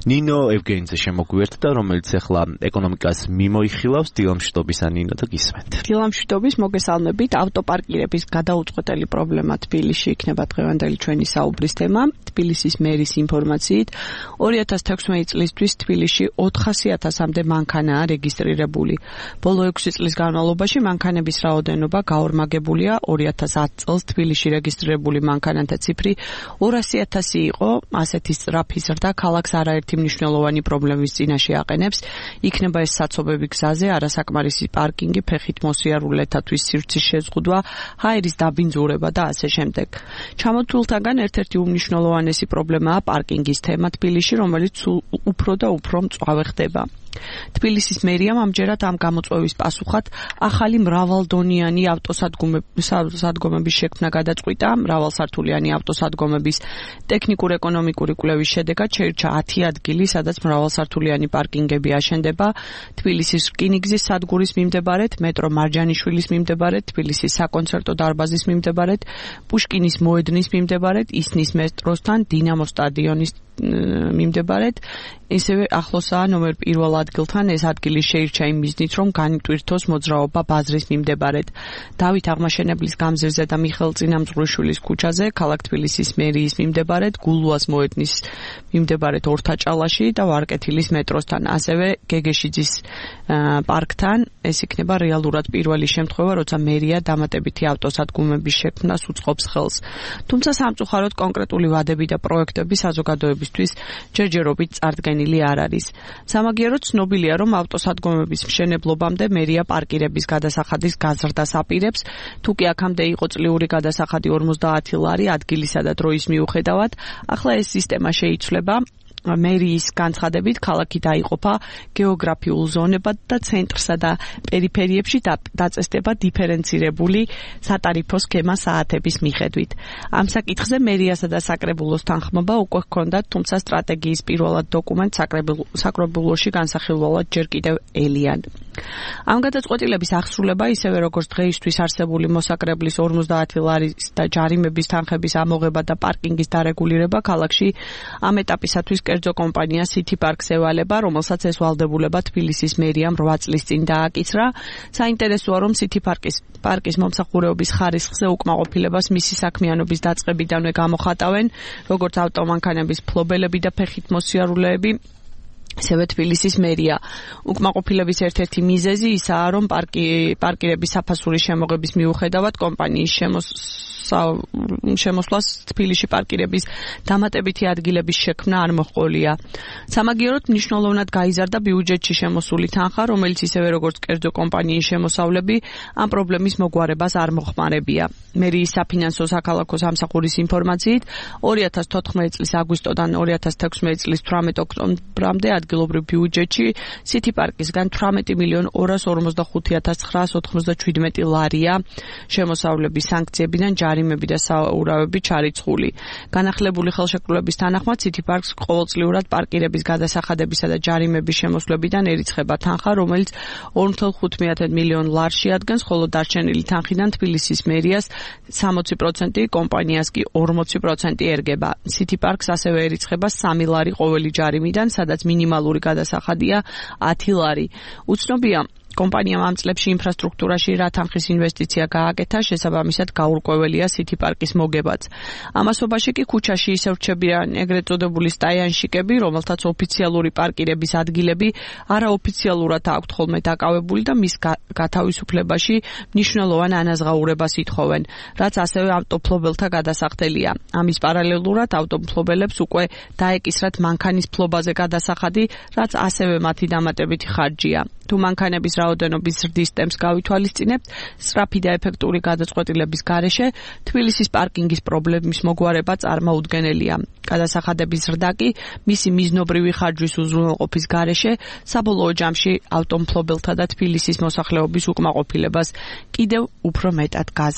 ნინო ევგენიძე შემოგვიერთდა, რომელიც ახლა ეკონომიკას მიმოიხილავს. დილამშვიდობისა ნინო და გისმენთ. დილამშვიდობის, მოგესალმებით. ავტოპარკირების გადაუწყვეტელი პრობლემა თბილისში იქნება დღევანდელი ჩვენი საუბრის თემა. თბილისის მერის ინფორმაციით 2016 წლისთვის თბილისში 400,000-მდე მანქანაა რეგისტრირებული. ბოლო 6 წლის განმავლობაში მანქანების რაოდენობა გაორმაგებულია. 2010 წელს თბილისში რეგისტრირებული მანქანათა ციფრი 200,000 იყო. ასეთი სწრაფი ზრდა ქალაქს არაერთი მნიშვნელოვანი პრობლემის წინაშე აყენებს. იქნება ეს საცობები გზაზე, არასაკმარისი პარკინგი, ფეხით მოსიარულეთათვის სივრცის შეზღუდვა, ჰაერის დაბინძურება და ასე შემდეგ. ჩამოთვლილთაგან ერთ-ერთი უმნიშვნელოვანესი პრობლემაა პარკინგის თემა თბილისში, რომელიც უფრო და უფრო მწვავე ხდება. თბილისის მერიამ ამჯერად ამ გამოწვევის პასუხად ახალი მრავალდონიანი ავტოსადგომების შექმნა გადაწყვიტა. მრავალსართულიანი ავტოსადგომების ტექნიკურ-ეკონომიკური კვლევის შედეგად შეირჩა 10 ადგილი, სადაც მრავალსართულიანი პარკინგები აშენდება. თბილისის რკინიგზის სადგურის მიმდებარედ, მეტრო მარჯანიშვილის მიმდებარედ, თბილისის საკონცერტო დარბაზის მიმდებარედ, პუშკინის მოედნის მიმდებარედ, ისნის მეტროსთან, დინამოს სტადიონის მიმდებარედ, ისევე ახლოსაა ნომერ 1 ადგილთან. ეს ადგილი შეირჩა იმ მიზნით, რომ განიტვირთოს მოძრაობა ბაზრის მიმდებარედ. დავით აღმაშენებლის გამზირზე და მიხეილ წინამძღვრიშვილის ქუჩაზე, ქალაქ თბილისის მერიის მიმდებარედ, გულუას მოედნის მიმდებარედ ორთაჭალაში და ვარკეთილის მეტროსთან, ასევე გეგეშიძის პარკთან. ეს იქნება რეალურად პირველი შემთხვევა, როცა მერია დამატებითი ავტოსადგომების შექმნას უწყობს ხელს. თუმცა სამწუხაროდ კონკრეტული ვადები და პროექტები საზოგადოებისთვის ჯერჯერობით წარდგენილი არ არის. სამაგიეროდ ცნობილია, რომ ავტოსადგომების მშენებლობამდე მერია პარკირების გადასახადის გაზრდას აპირებს. თუ კი აქამდე იყო წლიური გადასახადი 50 ლარი ადგილისა და დროის მიუხედავად, ახლა ეს სისტემა შეიცვლება. მერიის განცხადებით ქალაქი დაიყოფა გეოგრაფიულ ზონებად და ცენტრსა და პერიფერიებში დაწესდება დიფერენცირებული სატარიფო სქემა საათების მიხედვით. ამ საკითხზე მერიასა და საკრებულოს თანხმობა უკვე ჰქონდათ, თუმცა სტრატეგიის პირველად დოკუმენტს საკრებულოში განსახილველად ჯერ კიდევ ელიან. ამ გადაწყვეტილების აღსრულება, ისევე როგორც დღეისთვის არსებული მოსაკრებლის 50 ლარის და ჯარიმების თანხების ამოღება და პარკინგის დარეგულირება ქალაქში ამ ეტაპისათვის კერძო კომპანია City Parks ევალება, რომელსაც ეს ვალდებულება თბილისის მერიამ 8 წლის წინ დააკისრა. საინტერესოა, რომ City Parks მომსახურეობის ხარისხზე უკმაყოფილებას მისი საქმიანობის დაწყებიდანვე გამოხატავენ, როგორც ავტომანქანების ფლობელები და ფეხით მოსიარულეები, ისევე თბილისის მერია. უკმაყოფილების ერთ-ერთი მიზეზი ისაა, რომ პარკირების საფასურის შემოღების მიუხედავად კომპანიის შემოსვლას თბილისში პარკირების დამატებითი ადგილების შექმნა არ მოჰყოლია. სამაგიეროდ მნიშვნელოვნად გაიზარდა ბიუჯეტში შემოსული თანხა, რომელიც ისევე როგორც კერძო კომპანიის შემოსავლები ამ პრობლემის მოგვარებას არ მოხმარებია. მერიის საფინანსო საქალაქო სამსახურის ინფორმაციით 2014 წლის აგვისტოდან 2016 წლის 18 ოქტომბრამდე ადგილობრივ ბიუჯეტში City Parks-გან 18,245,997 ლარია შემოსავლების სანქციებიდან ჯარიმები და საურავები ჩარიცხული. განახლებული ხელშეკრულების თანახმად City Parks ყოველწლიურად პარკირების გადასახადებისა და ჯარიმების შემოსვლებიდან ერიცხება თანხა, რომელიც 2,5 მილიონ ლარს შეადგენს, ხოლო დარჩენილი თანხიდან თბილისის მერიას 60%, კომპანიას კი 40% ერგება. City Parks ასევე ერიცხება 3 ლარი ყოველი ჯარიმიდან, სადაც მინიმალური გადასახადია 10 ლარი. უცნობია კომპანიამ ამ წლებში ინფრასტრუქტურაში რა თანხის ინვესტიცია გააკეთა, შესაბამისად გაურკვეველია City Parks-ის მოგებაც. ამასობაში კი ქუჩაში ისევ რჩებიან ეგრეთ წოდებული სტაიანშიკები, რომელთაც ოფიციალური პარკირების ადგილები არაოფიციალურად აქვთ ხოლმე დაკავებული და მის გათავისუფლებაში მნიშვნელოვან ანაზღაურებას ითხოვენ, რაც ასევე ავტოფლობელთა გადასახდელია. ამის პარალელურად ავტოფლობელებს უკვე დაეკისრათ მანქანის ფლობაზე გადასახადი, რაც ასევე მათი დამატებითი ხარჯია. თუ მანქანების რაოდენობის ზრდის ტემპს გავითვალისწინებთ, სწრაფი და ეფექტური გადაწყვეტილების გარეშე თბილისის პარკინგის პრობლემის მოგვარება წარმოუდგენელია. გადასახადების ზრდა კი მისი მიზნობრივი ხარჯვის უზრუნველყოფის გარეშე საბოლოო ჯამში ავტომფლობელთა და თბილისის მოსახლეობის უკმაყოფილებას კიდევ უფრო მეტად გაზრდა.